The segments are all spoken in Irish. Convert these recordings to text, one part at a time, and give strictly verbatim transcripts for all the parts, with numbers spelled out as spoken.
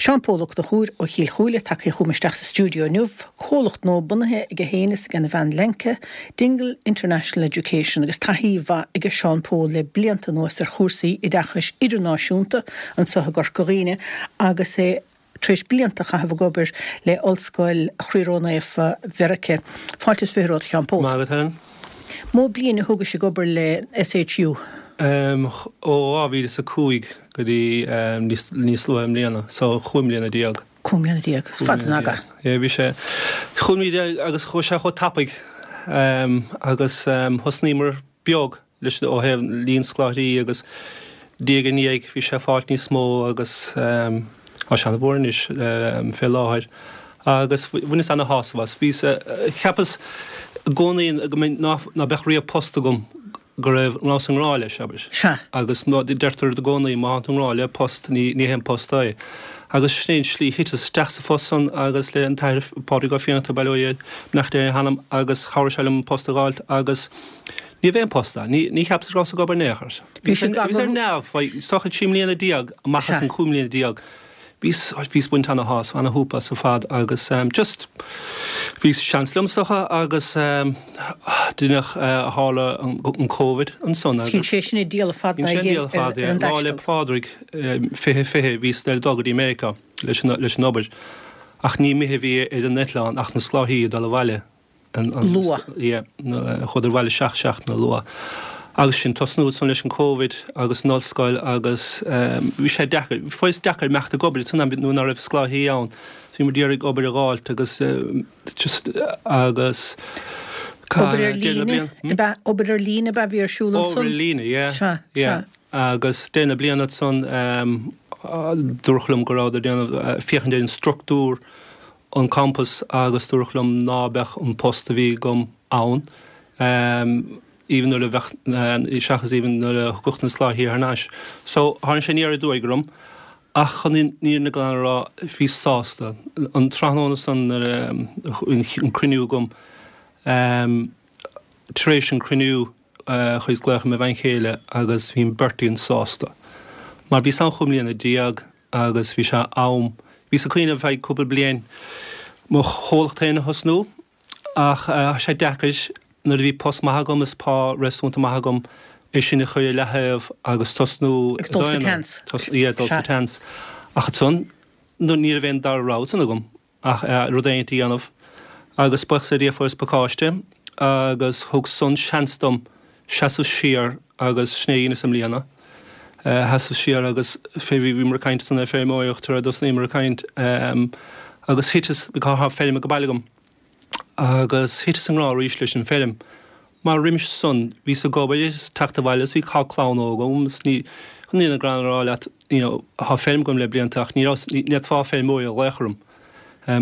Seán Pól Ó Conchúir ó Chill Chúile tagtha chugam isteach sa stiúideo inniu, comhlacht nua bunaithe aige féin is ag a bhean Lenka, Dingle International Education agus taithí mhaith aige Seán Pól le blianta anuas ar chúrsaí oideachais idirnáisiúnta anseo i gCorca Dhuibhne agus é tar éis blianta a chaitheamh ag obair le Ollscoil Chroí Ró-Naofa Mheiriceá. Fáilte is fiche romhat Seán Pól. Maith agat Helen. Mó bliain a thógais ag obair le SHU? Um, ó dhá mhíle is a cúig go dtí um, níos, níos luaithe i mbliana, so chúig mbliana déag. Cúig mbliana déag, is fada an aga. Yeah, bhí sé chúig mbliana déag agus chuaigh sé chomh tapaidh um, agus um, thosnaíomar beag leis ó thaobh líon scoláirí agus diaidh ar ndiaidh bhí sé ag fáil níos mó agus um, tá sé an-mhór anois um, fé láthair. Agus bhaineas ana-shásamh as. Bhíos, cheapas i gcónaí go mbeinn ná, ná beadh riamh post agam go raibh rabhas i ngrá leis, abair. Sea. Agus deirtear i gcónaí má tá tú i ngrá le post, ní ní haon post é. Agus sin é an slí, thiteas isteach sa phost san agus le an tAthair Pádraig Ó Fiannachta, bail ó Dhia air, beannacht Dé ar a hanam, agus chabhraigh sé liom an post a dh'fháilt agus ní raibh aon post ann. Ní ní cheapas go rabhas ag obair in aon chor. Bhí Bhíos sé ar neamh, is dócha trí mbliana déag amach as an chúig mbliana déag. Bhíos, bhíos baint ana-shásamh, ana-shúp as ar fad agus just bhí seans liom is dócha agus díreach tharla an Covid ansan agus. Bhí sé sin ag díol fada Bhí sé ag díol fada, yeah. Lá 'le Pádraig fiche fiche bhíos le dul go dtí Meiriceá leis an leis an obair ach ní mithid a bhí ar an eitleán ach na scoláirí ag dul abhaile. Luath. Yeah, chuadar abhaile seacht seachtaine luath. Agus sin tosnú ansan leis an Covid agus an ollscoil agus bhí sé deacair, fuair deacair imeacht ag obair san am nuair ná raibh scoláirí ann. Bhí muid iarraidh obair a dh'fháilt agus just agus Obair ar líne, ab ea, obair ar líne ab ea a bhí ar siúl ansan? Obair ar líne, yeah. Sea, yeah. sea. Agus deireadh na bliana ansan dúradh liom go rabhadar ag déanamh féachaint ar an struchtúr an campas agus dúradh liom ná beadh an post a bhí agam ann even nuair a bheadh, seachas even nuair a thiocfadh na scoláirí thar n-ais. So tháinig sé aniar aduaidh orm ach chun an fhírinne glan a rá bhíos sásta. An tráthnóna san nuair a an cruinniú agam tar éis an cruinniú chuas glaoch ar mo bhean chéile agus bhí an beirt againn sásta. Mar bhíos ann chúig mbliana déag agus bhí sé am, bhíos ag cuimhneamh ar feadh cúpla bliain mo chomhlacht féin a thosnú ach tá sé deacair nuair a bhí post maith agam is pá réasúnta maith agam é sin a chur ar leaththaobh agus tosnú Agus dul sa tseans. Yeah, dul sa tseans. Ach ansan ní raibh aon dara rogha ansan agam ach rud éigint a dhéanamh agus buíochas le Dia fuaireas pacáiste agus thug san seans dom seasamh siar agus sin é a dheineas i mbliana. Sheasamh siar agus fé bhíomar ag caint ansan ar feirmeoireacht nuair a thosnaíomar ag caint agus thiteas, tá feirm ag baile agam, agus thiteas i ngrá arís leis an feirm mar roimis san bhíos ag obair is teacht abhaile is bhí tá clann óg agam is ní, chun an fhírinne glan a rá leat, you know, tá feirm agam le blianta ach ní raibh, ní fhéadfá feirmeoir a ghlaoch orm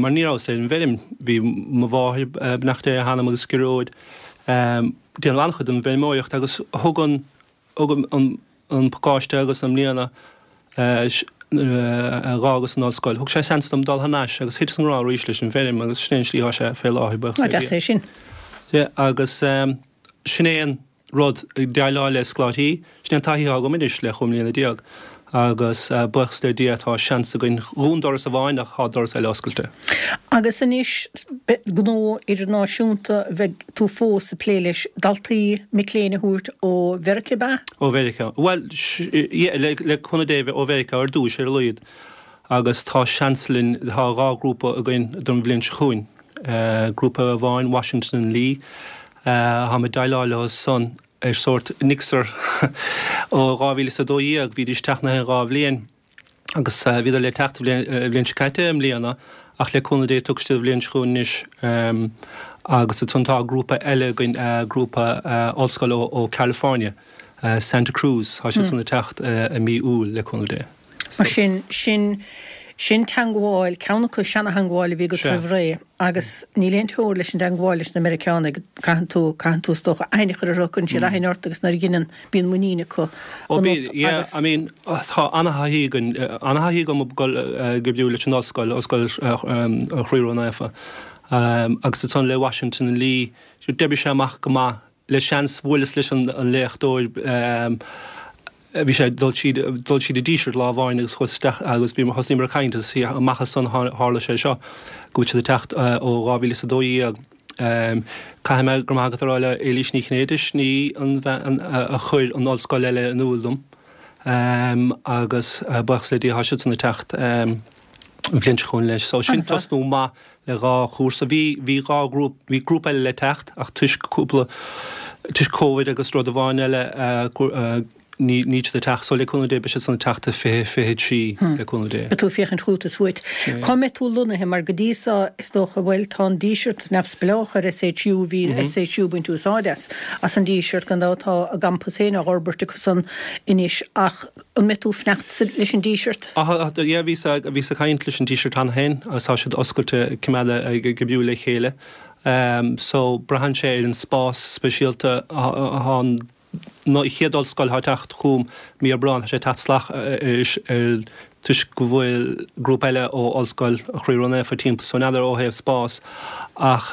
mar ní rabhas ar an bhfeirm. Bhí mo mháthair, beannacht Dé ar a hanam, agus Gearóid, déanamh an-chuid den bhfeirmeoireacht agus thug an, thug an, an pacáiste agus i mbliana a dh'fhágas an ollscoil, thug sé seans dom dul thar n-ais agus thiteas i ngrá arís leis an bhfeirm agus sin é an slí atá sé fé láthair, buíochas le Deas Dia. é sin. Yeah, agus sin é an rud, ag déileáil le scoláirí, sin é an taithí atá agam anois le chúig mbliana déag agus buíochas le Dia tá seans againn, dhún doras amháin ach tá doras eile oscailte. Agus anois, gnó idirnáisiúnta, bheidh tú fós ag plé leis daltaí, mic léinn a thabhairt ó Mheiriceá, ab ea? Ó Mheiriceá. Bhuel, yeah, le, le cúnamh Dé, ó Mheiriceá ar dtúis, ar a laghad. Agus tá seans linn, tá dhá ghrúpa againn don bhliain seo chugainn. Grúpa amháin, Washington and Lee, táim ag déileáil leo san ar sórt mixer ó dhá mhíle is a dó dhéag, bhídís ag teacht na haon dhá bhliain. Agus bhíodar le teacht an bhliain seo caite i mbliana ach le cúnamh Dé tiocfaidh siad an bhliain seo chugainn anois agus ansan tá grúpa eile againn, grúpa ollscoile ó California, Santa Cruz, tá siad san ag teacht i mí Iúil le cúnamh Dé. Mar sin, sin, sin teangmháil, ceann acu seana-theangmháil a bhí agat roimh ré agus níl aon teora leis an dteangmháil leis na Meiriceánaigh, caitheann tú, caitheann tú is dócha aithne a chur orthu, cuireann siad aithne ort agus nuair a dheineann, bíonn muinín acu Ó bíonn, ionat yeah, agus. I mean, tá ana-thaithí againn, ana-thaithí agam ag dul ag oibriú leis an ollscoil, Ollscoil Chroí Ró-Naofa, agus ansan le Washington and Lee, d'oibrigh sé amach go maith, le seans bhuaileas leis an léachtóir, Bhí sé dul siad dul siad i Díseart lá amháin agus chuas isteach agus bhí thosnaíomar ag caint agus amach as san tharla sé seo go bhfuil siad ag teacht ó dhá mhíle is a dó dhéag. Caithfidh mé go raibh maith agat a rá le Éilís Ní Chinnéide, ní an bhean a chuir an ollscoil eile in iúl dom agus buíochas le Dia tá siadsan ag teacht an bhliain seo chugainn leis. So sin tosnú maith le dhá chúrsa. Bhí bhí dhá ghrúpa, bhí grúpa eile le teacht ach toisc cúpla, toisc Covid agus rud amháin eile ní níl siad ag teacht. So le cúnamh Dé beidh siadsan ag teacht i fiche fiche trí le cúnamh Dé. Beidh tú ag féachaint chugat is uait. Cá mbeidh tú lonnaithe mar go dtí seo is dócha, bhuel tá an Díseart neamhspleách ar SHU, bhí SHU ag baint úsáid as, as an Díseart gan dabht tá a gcampas féin á fhorbairt acusan anois ach an mbeidh tú ag fanacht leis an Díseart? Ah yeah bhíos bhíos ag caint leis an Díseart cheana féin agus tá siad oscailte coimeád ag oibriú le chéile. So braitheann sé ar an spás speisialta atá an chéad ollscoil atá ag teacht chugam mí Aibreán, tá sé ag teacht salach ar toisc go bhfuil grúpa eile ó Ollscoil Chroí Ró-Naofa timpeall so n'fheadar ó thaobh spás ach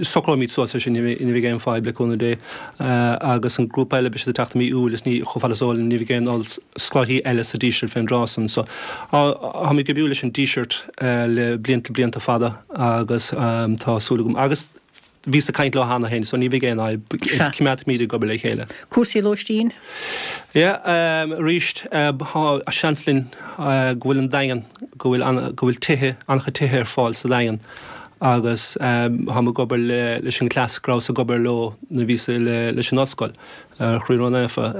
socróimid suas é sin, ní bheidh aon fadhb le cúnamh Dé. Agus an grúpa eile beidh siad ag teacht i mí Iúil is ní chomh fada is eol ní bheidh aon scoláirí eile sa Díseart fén dtráth san so táimid ag oibriú leis an Díseart le blianta blianta fada agus tá súil agam agus bhíos ag caint leo cheana féin so ní bheidh aon fhadhb, coimeádfaimid ag obair le chéile. Cúrsaí lóistín? Yeah, arís, tá seans linn go bhfuil an Daingean, go bhfuil an, go bhfuil tithe, an-chuid tithe ar fáil sa Daingean agus táim ag obair le, leis an gcleas go rabhas ag obair leo nuair a bhíos le, leis an ollscoil. Chroí Ró-Naofa,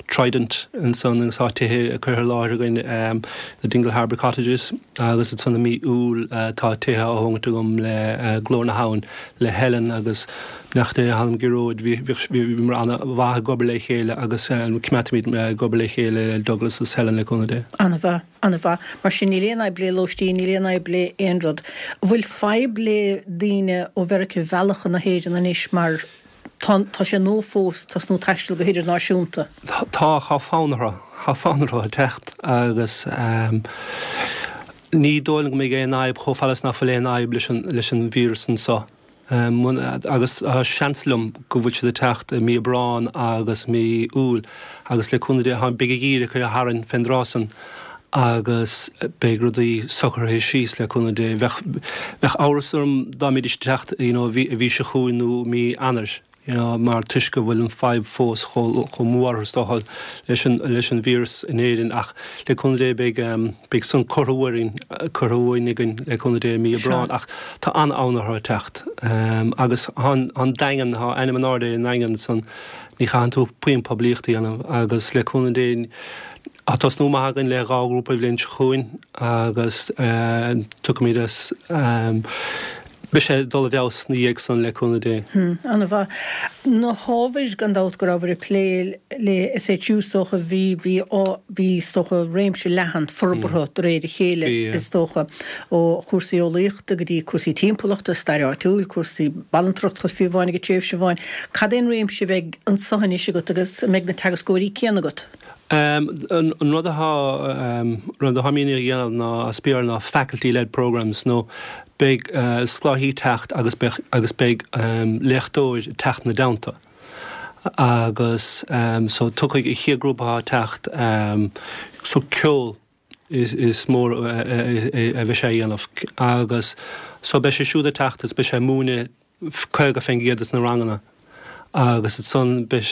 Trident ansan agus tá tithe curtha i láthair againn, na Dingle Harbour Cottages agus ansan i mí Iúil tá tithe á thógaint agam le Glór na hAbhann, le Helen agus beannacht Dé lena hanam Gearóid, bhíomar an-mhaith ag obair le chéile agus coimeádfaimid ag obair le chéile le Douglas agus Helen le cúnamh Dé. An-mhaith, an-mhaith. Mar sin níl aon fhadhb le lóistín, níl aon fhadhb le aon rud. An bhfuil fadhb le daoine ó Mheiriceá a mhealladh chun na hÉireann anois mar Tá, tá sé nua fós tosnú taisteal go hidirnáisiúnta. Tá, tá fonn orthu, tá fonn orthu a teacht agus ní dóigh liom go mbeidh aon fhadhb chomh fada is nach bhfuil aon fhadhb leis an, leis an víreas anseo. Agus tá seans liom go bhfuil siad ag teacht i mí Aibreán agus mí Iúil agus le cúnamh Dé, tá, beidh an geimhreadh curtha tharainn fén dtráth san. agus beidh rudaí socraithe síos le cúnamh Dé. Bheadh, bheadh amhras orm dá mbeidís ag teacht you know mhí, mhí seo chugainn nó mí Eanáir you know mar toisc go bhfuil an fadhb fós chomh, chomh mór is dócha leis an, leis an víreas in Éirinn ach le cúnamh Dé beidh, beidh san curtha uainn, curtha uainn againn le cúnamh Dé i mí Aibreán ach tá an-fhonn orthu a teacht. Agus tá an, an Daingean, tá ainm in airde ar an nDaingean san, ní chaitheann tú puinn poiblíocht a dhéanamh agus le cúnamh Dé, Tá tosnú maith againn le dhá ghrúpa an bhliain seo chugainn agus tiocfaimid as. Beidh sé ag dul i bhfeabhas ina dhiaidh san le cúnamh Dé. An-mhaith. Na hábhair, gan dabht, go rabhabhair ag plé le SHU is dócha, bhí, bhí, bhí is dócha réimse leathan forbartha de réir a chéile is dócha, ó chúrsaí eolaíochta go dtí cúrsaí timpeallachta, stair áitiúil, cúrsaí banaltrachta fiú amháin ag tréimhse amháin. Cad é an réimse a bheidh anseo anois agat agus an mbeidh na teagascóirí céanna agat? An rud atá rud atá mian a dhéanamh ná as Béarla ná faculty led programmes nó beidh scoláirí ag teacht agus beidh agus beidh léachtóir ag teacht ina dteannta agus so tiocfaidh an chéad grúpa atá ag teacht so ceol is is mór a bheidh sé a dhéanamh agus so beidh sé siúd ag teacht agus beidh sé ag múineadh caoga fén gcéad de na ranganna agus ansan beidh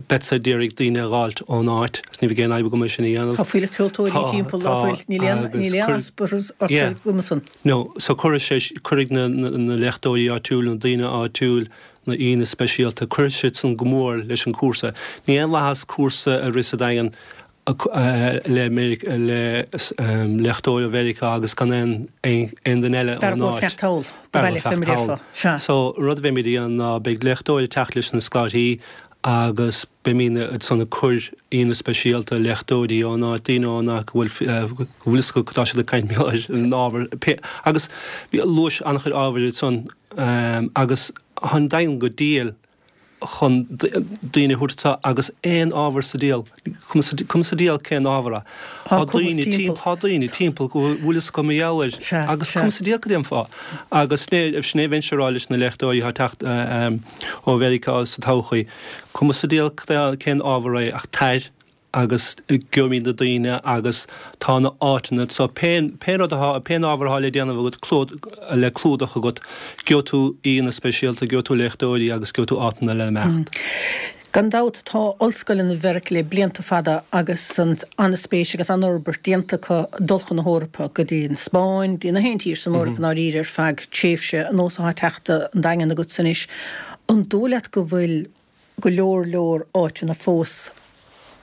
beadsa d'iarraidh daoine a dh'fháilt ón áit agus ní bheidh aon fhadhb agam é sin a dhéanamh. Tá fuílleach ceoltóirí Tá, timpeall, tá ná fuil? Níl aon, agus níl aon cuir, easpa orthu yeah, uime san. no, so cuirfidh sé, cuirfidh na, na, na léachtóirí áitiúil, na daoine áitiúil, na aíonna speisialta, cuirfidh siad san go mór leis an cúrsa. Ní aon mhaitheas cúrsa a rith sa Daingean le léachtóir ó Mheiriceá agus gan aon duine eile B'fhearr ón dóibh áit. feacht thall, go B'fhearr baile dóibh fé feacht mar thall. déarfá. Sea. So, rud a bheimid a dhéanamh ná beidh léachtóir ag teacht leis na scoláirí agus beimid ansan ag cur aíonna speisialta, léachtóirí ón áit, daoine ón áit go bhfuil go bhfuil fhios acu cad tá siad ag caint mar gheall ar an ábhar pé agus luais an-chuid ábhair ansan agus tá an Daingean go diail. chun daoine a thabhairt anseo agus aon ábhar sa diabhal, cuma sa diabhal cén ábhar é. Tá daoine timpeall, tá daoine timpeall go bhfuil fhios acu mar gheall air agus cuma sa diabhal cad é an fáth. Agus sin é a bheinnse a rá leis na léachtóirí atá ag teacht ó Mheiriceá sa todhchaí, cuma sa diabhal cén ábhar é ach tar agus gheobhaimid na daoine agus tá na áiteanna so pé pé rud atá pé ábhar atá le déanamh agat clúd le clúdach agat gheobhaidh tú aíonna speisialta gheobhaidh tú léachtóirí agus gheobhaidh tú áiteanna le imeacht. Gan dabht tá ollscoileanna Mheiriceá le blianta fada agus an an-spéis agus an-fhorbairt déanta acu dul chun na hEorpa, go dtí an Spáinn, go dtí na haon tír san Eoraip i ndáiríre ar feadh tréimhse, an nós atá ag teacht an Daingean agatsa anois. An dóigh leat go bhfuil go leor leor áiteanna fós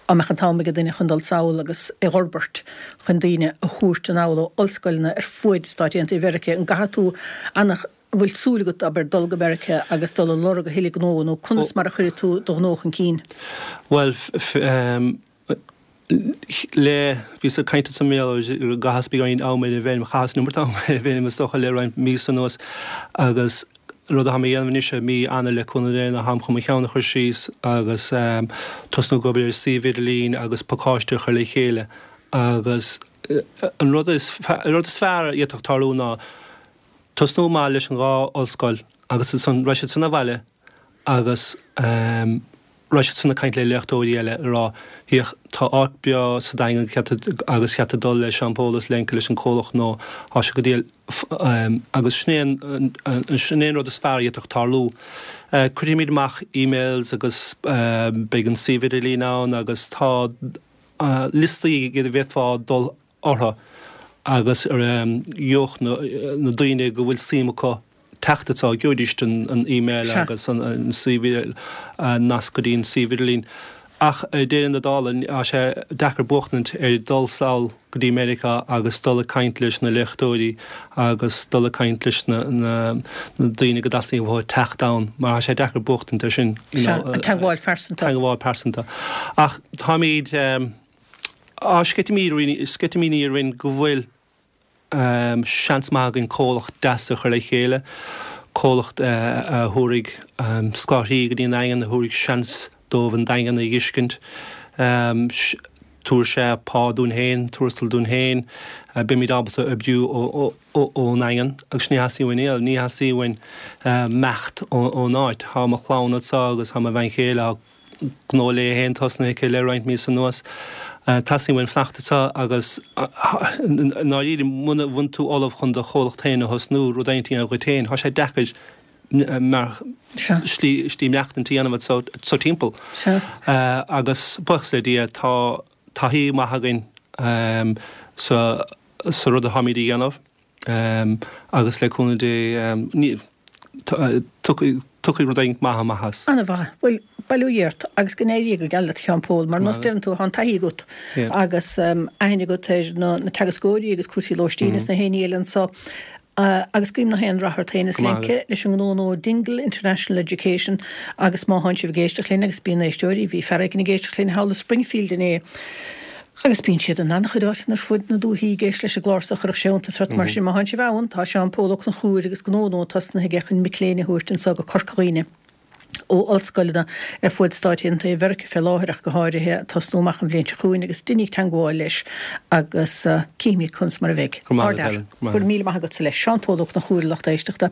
dá mbeadh an t-am ag duine chun dul sall agus é a fhorbairt chun daoine a thabhairt anall ó ollscoileanna ar fuaid Stáit Aontaithe Mheiriceá. An gcaithfidh tú an bhfuil súil agat, abair, dul go Meiriceá agus dul ag lorg a thuilleadh gnó nó conas mar a chuirfidh tú do ghnó chun cinn? Bhuel, le, bhíos ag caint ansan mar gheall go gcaitheas beagáinín ama ar an bhfeirm, chaitheas an iomarca ama ar an bhfeirm is dócha le roinnt míosa anuas agus rud atá mé a dhéanamh anois i mí Eanáir le cúnamh Dé ná táim chun mo cheann a chur síos agus tosnú ag obair ar suíomh idirlín agus pacáiste a chur le chéile agus an rud is an rud is fearr a d'fhéadfadh tarlú ná tosnú amach leis an dhá ollscoil agus ansan raghaidh siad san abhaile agus raghaidh siad san ag caint le léachtóirí eile ag rá féach tá áit breá sa Daingean agus cheart dul le Seán Pól is Lenka leis an comhlacht nó tá sé go diail agus sin é an sin é an rud is fearr a d'fhéadfadh tarlú. Cuirfimid amach emails agus beidh an suíomh idirlín ann agus tá liostaí a bhféadfá dul orthu agus gheobhadh na daoine go bhfuil suim acu teacht anseo, gheobhaidís an email agus an suíomh, nasc go dtí an suíomh idirlín. Ach i ndeireadh na dála, tá sé deacair buachtaint ar dul sall go dtí Meiriceá agus dul ag caint leis na léachtóirí agus dul ag caint leis na daoine go dteastaíonn uathu teacht ann, mar tá sé deacair buachtaint ar sin. Sea, an teagmháil phearsanta. Teagmháil pearsanta. Ach táimid, á sceitimíní orainn go bhfuil seans maith againn comhlacht deas a chur le chéile, comhlacht a thabharfaidh scoláirí go dtí an Daingean, a thabharfaidh seans dóibh an Daingean a dh'fheiscint. Tabharfaidh sé pá dúinn féin, tuarastal dúinn féin, beimid ábalta oibriú ón nDaingean agus ní theastaíonn uainn aon, ní theastaíonn uainn imeacht ón áit. Tá mo chlann anseo agus tá mo bhean chéile, tá gnó léi féin tosnaithe aici le roinnt míosa anuas. Teastaíonn uainn fanacht anseo agus i ndáiríre muna bhfuil tú ullamh chun do chomhlacht féin a thosnú, rud éigin a dhéanamh dhuit féin, tá sé deacair mar slí slí maireachtaint a dhéanamh anseo timpeall. Agus buíochas le Dia tá taithí maith againn sa sa rud atáimid a dhéanamh agus le cúnamh Dé ní tiocfaidh rud éigin maith amach as. Ana-mhaith. Bhuel, bail ó Dhia ort agus go n-éirí go geal leat a Sheáin Phóil. Mar nós deireann tú, tá an taithí agat agus aithne agat ar na teagascóirí agus cúrsaí lóistín is na haon ní eile anso. Agus guím na haon rath ort féin is Lenka leis an ngnó nua Dingle International Education agus má thánn sibh ag éisteacht linn agus bíonn éisteoirí, bhí fear éigin ag éisteacht linn thall i Springfield inné, Agus bíonn siad in an-chuid áiteanna ar fud na dúichí ag éisteacht leis an gclár so, chuirfeadh sé iontas ort. Mar sin, má thánn sibh ann, tá Seán Pól Ó Conchúir agus gnó nua tosnaithe aige chun mic léinn a thabhairt anso go Corca Dhuibhne ó ollscoileanna ar fuaid Stáit Aontaithe Mheiriceá fé láthair ach go háirithe, ag tosnú amach an bhliain seo chugainn agus deiníg teangmháil leis agus cífimid conas mar a bheidh. Go raibh maith agat, Helen. Go raibh míle maith agatsa leis. Seán Pól Ó Conchúir, a lucht éisteachta.